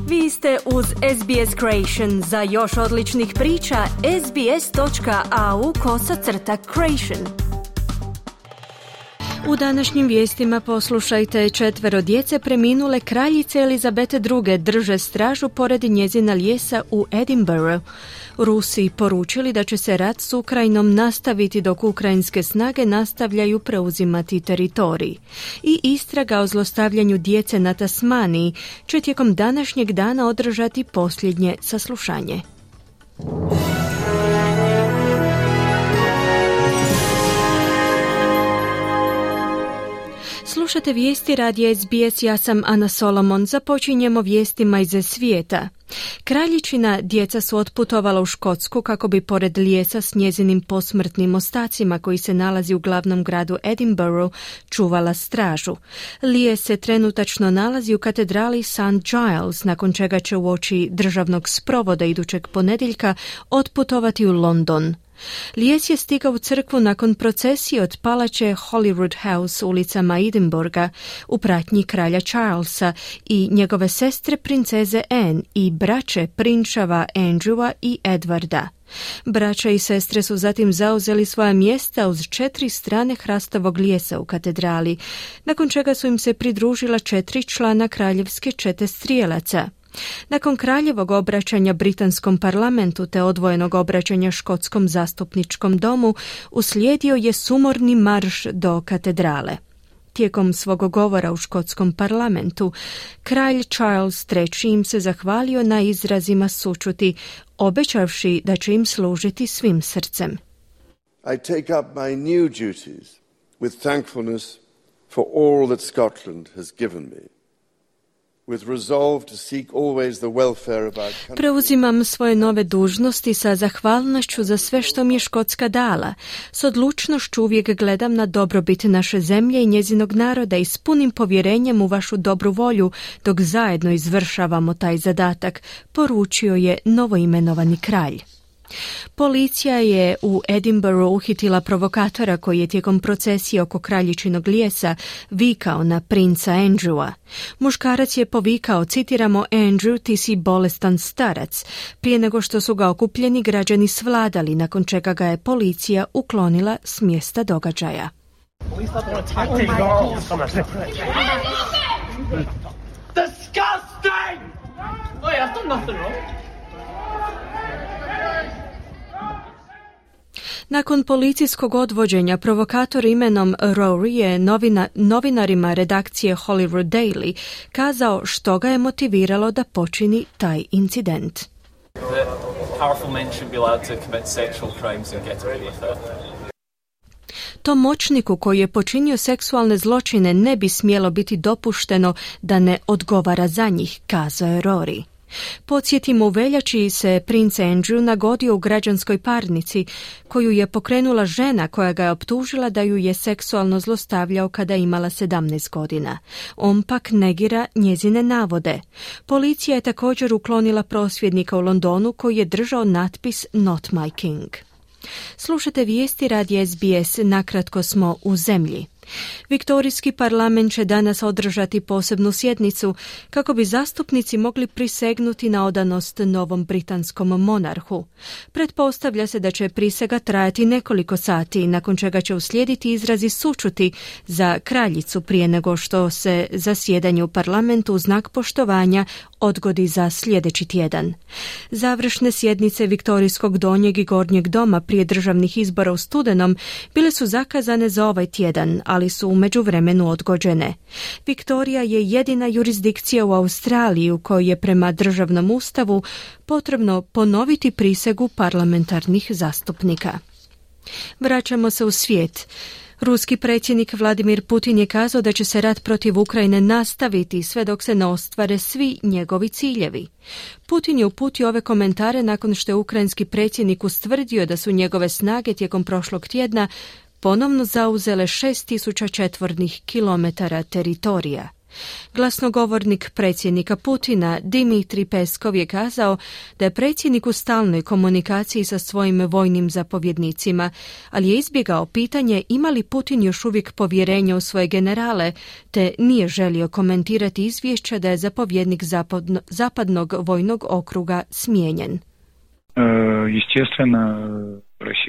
Vi ste uz SBS Creation. Za još odličnih priča, sbs.au/creation. U današnjim vijestima poslušajte: 4 djece preminule kraljice Elizabete II. Drže stražu pored njezina lijesa u Edinburghu. Rusi poručili da će se rat s Ukrajinom nastaviti dok ukrajinske snage nastavljaju preuzimati teritorij. I istraga o zlostavljanju djece na Tasmaniji će tijekom današnjeg dana održati posljednje saslušanje. Slušate vijesti radija SBS, ja sam Ana Solomon. Započinjemo vijestima iz svijeta. Kraljičina djeca su otputovala u Škotsku kako bi pored lijesa s njezinim posmrtnim ostacima koji se nalazi u glavnom gradu Edinburghu čuvala stražu. Lijes se trenutačno nalazi u katedrali St. Giles, nakon čega će uoči državnog sprovoda idućeg ponedjeljka otputovati u London. Lijes je stigao u crkvu nakon procesije od palače Holyrood House ulicama Edinburgha u pratnji kralja Charlesa i njegove sestre princeze Anne i braće prinčeva Andrewa i Edwarda. Braća i sestre su zatim zauzeli svoja mjesta uz 4 strane hrastovog lijesa u katedrali, nakon čega su im se pridružila 4 člana kraljevske čete strijelaca. Nakon kraljevog obraćanja britanskom parlamentu te odvojenog obraćanja škotskom zastupničkom domu, uslijedio je sumorni marš do katedrale. Tijekom svog govora u škotskom parlamentu, kralj Charles III im se zahvalio na izrazima sućuti, obećavši da će im služiti svim srcem. I take up my new duties with thankfulness for all that Scotland has given me. Preuzimam svoje nove dužnosti sa zahvalnošću za sve što mi je Škotska dala. S odlučnošću uvijek gledam na dobrobit naše zemlje i njezinog naroda i s punim povjerenjem u vašu dobru volju dok zajedno izvršavamo taj zadatak, poručio je novoimenovani kralj. Policija je u Edinburghu uhitila provokatora koji je tijekom procesije oko kraljičinog lijesa vikao na princa Andrewa. Muškarac je povikao, citiramo: Andrew, ti si bolestan starac, prije nego što su ga okupljeni građani svladali, nakon čega ga je policija uklonila s mjesta događaja. Disgusting! Wait, I've done nothing wrong. Nakon policijskog odvođenja, provokator imenom Rory je novinarima redakcije Holyrood Daily kazao što ga je motiviralo da počini taj incident. Tom moćniku koji je počinio seksualne zločine ne bi smjelo biti dopušteno da ne odgovara za njih, kazao je Rory. Podsjetimo, u veljači se princ Andrew nagodio u građanskoj parnici koju je pokrenula žena koja ga je optužila da ju je seksualno zlostavljao kada je imala 17 godina. On pak negira njezine navode. Policija je također uklonila prosvjednika u Londonu koji je držao natpis Not my king. Slušate vijesti radija SBS, nakratko smo u zemlji. Viktorijski parlament će danas održati posebnu sjednicu kako bi zastupnici mogli prisegnuti na odanost novom britanskom monarhu. Pretpostavlja se da će prisega trajati nekoliko sati, nakon čega će uslijediti izrazi sućuti za kraljicu prije nego što se zasjedanje u parlamentu u znak poštovanja odgodi za sljedeći tjedan. Završne sjednice Viktorijskog donjeg i gornjeg doma prije državnih izbora u studenom bile su zakazane za ovaj tjedan, ali su u međuvremenu odgođene. Viktorija je jedina jurisdikcija u Australiji u kojoj je prema državnom ustavu potrebno ponoviti prisegu parlamentarnih zastupnika. Vraćamo se u svijet. Ruski predsjednik Vladimir Putin je kazao da će se rat protiv Ukrajine nastaviti sve dok se ne ostvare svi njegovi ciljevi. Putin je uputio ove komentare nakon što je ukrajinski predsjednik ustvrdio da su njegove snage tijekom prošlog tjedna ponovno zauzele 6.000 četvornih kilometara teritorija. Glasnogovornik predsjednika Putina Dmitrij Peskov je kazao da je predsjednik u stalnoj komunikaciji sa svojim vojnim zapovjednicima, ali je izbjegao pitanje ima li Putin još uvijek povjerenje u svoje generale, te nije želio komentirati izvješća da je zapovjednik zapadnog vojnog okruga smijenjen.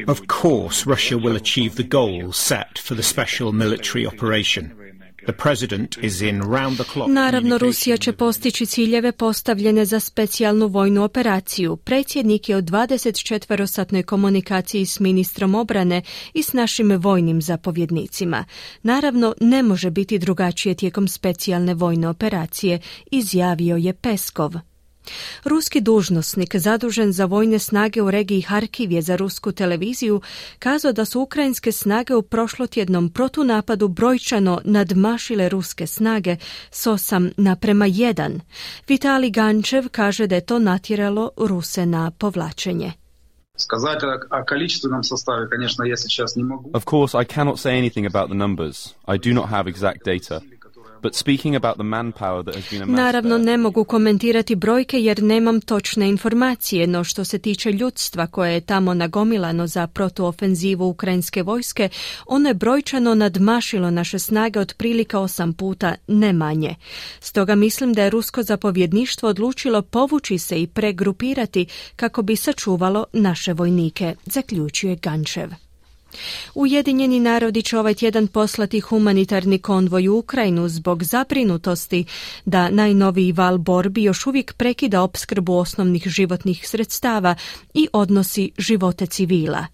Of course, Russia will achieve the goals set for the special military operation. The president is in round the clock. Naravno, Rusija će postići ciljeve postavljene za specijalnu vojnu operaciju. Predsjednik je u 24-satnoj komunikaciji s ministrom obrane i s našim vojnim zapovjednicima. Naravno, ne može biti drugačije tijekom specijalne vojne operacije, izjavio je Peskov. Ruski dužnosnik zadužen za vojne snage u regiji Harkiv je za rusku televiziju kazao da su ukrajinske snage u prošlotjednom protunapadu brojčano nadmašile ruske snage s 8:1. Vitalij Gančev kaže da je to natjeralo Ruse na povlačenje. Of course, I cannot say anything about the numbers. I do not have exact data. But speaking about the manpower that has been amassed. Naravno, ne mogu komentirati brojke jer nemam točne informacije, no što se tiče ljudstva koje je tamo nagomilano za protuofenzivu ukrajinske vojske, ono je brojčano nadmašilo naše snage otprilike 8 puta, ne manje. Stoga mislim da je rusko zapovjedništvo odlučilo povući se i pregrupirati kako bi sačuvalo naše vojnike, zaključuje Gančev. Ujedinjeni narodi će ovaj tjedan poslati humanitarni konvoj u Ukrajinu zbog zabrinutosti da najnoviji val borbi još uvijek prekida opskrbu osnovnih životnih sredstava i odnosi živote civila.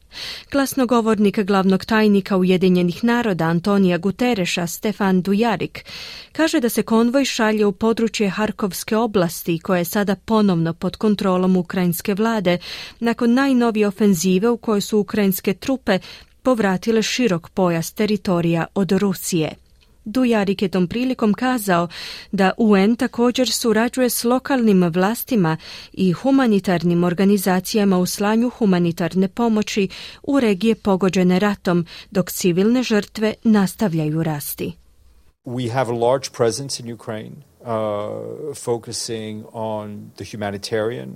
Glasnogovornik glavnog tajnika Ujedinjenih naroda Antonija Gutereša Stefan Dujarric kaže da se konvoj šalje u područje Harkovske oblasti koje je sada ponovno pod kontrolom ukrajinske vlade nakon najnovije ofenzive u kojoj su ukrajinske trupe povratile širok pojas teritorija od Rusije. Dujarric je tom prilikom kazao da UN također surađuje s lokalnim vlastima i humanitarnim organizacijama u slanju humanitarne pomoći u regije pogođene ratom, dok civilne žrtve nastavljaju rasti. We have a large presence in Ukraine, focusing on the humanitarian.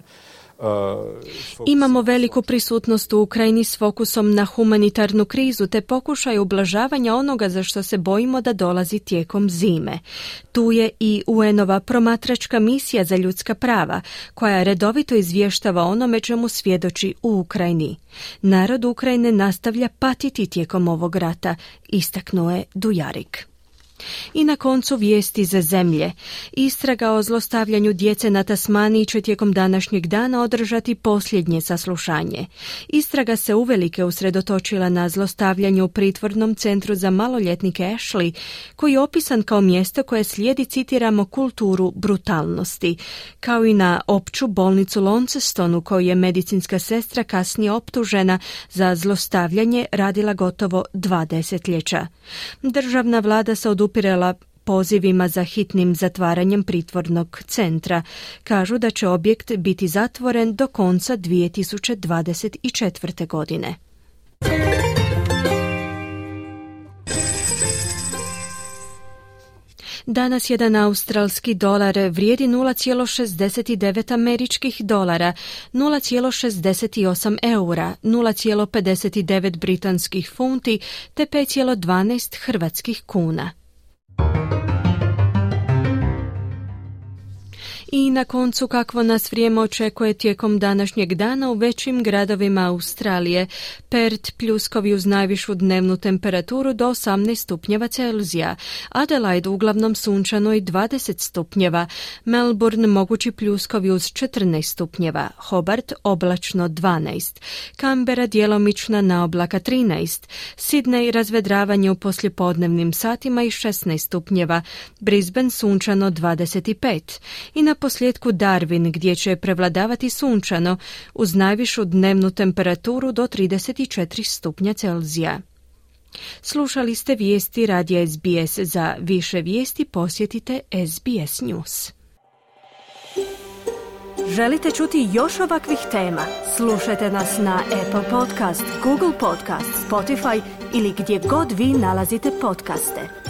Imamo veliku prisutnost u Ukrajini s fokusom na humanitarnu krizu te pokušaj ublažavanja onoga za što se bojimo da dolazi tijekom zime. Tu je i UN-ova promatračka misija za ljudska prava, koja redovito izvještava onome čemu svjedoči u Ukrajini. Narod Ukrajine nastavlja patiti tijekom ovog rata, istaknuo je Dujarric. I na koncu vijesti za zemlje. Istraga o zlostavljanju djece na Tasmaniji će tijekom današnjeg dana održati posljednje saslušanje. Istraga se uvelike usredotočila na zlostavljanje u pritvornom centru za maloljetnike Ashley, koji je opisan kao mjesto koje slijedi, citiramo, kulturu brutalnosti, kao i na opću bolnicu Launceston u kojoj je medicinska sestra kasnije optužena za zlostavljanje radila gotovo 2 desetljeća. Državna vlada se odupirala pozivima za hitnim zatvaranjem pritvornog centra. Kažu da će objekt biti zatvoren do konca 2024. godine. Danas jedan australski dolar vrijedi 0,69 američkih dolara, 0,68 eura, 0,59 britanskih funti te 5,12 hrvatskih kuna. I na koncu kakvo nas vrijeme očekuje tijekom današnjeg dana u većim gradovima Australije. Perth pljuskovi uz najvišu dnevnu temperaturu do 18 stupnjeva Celzija, Adelaide uglavnom sunčano i 20 stupnjeva, Melbourne mogući pljuskovi uz 14 stupnjeva, Hobart oblačno 12, Canberra djelomična naoblaka 13, Sydney razvedravanje u poslijepodnevnim satima i 16 stupnjeva, Brisbane sunčano 25 i na posljedku Darwin gdje će prevladavati sunčano uz najvišu dnevnu temperaturu do 34 stupnja Celzija. Slušali ste vijesti radija SBS. Za više vijesti posjetite SBS News. Želite čuti još ovakvih tema? Slušajte nas na Apple Podcast, Google Podcast, Spotify ili gdje god vi nalazite podcaste.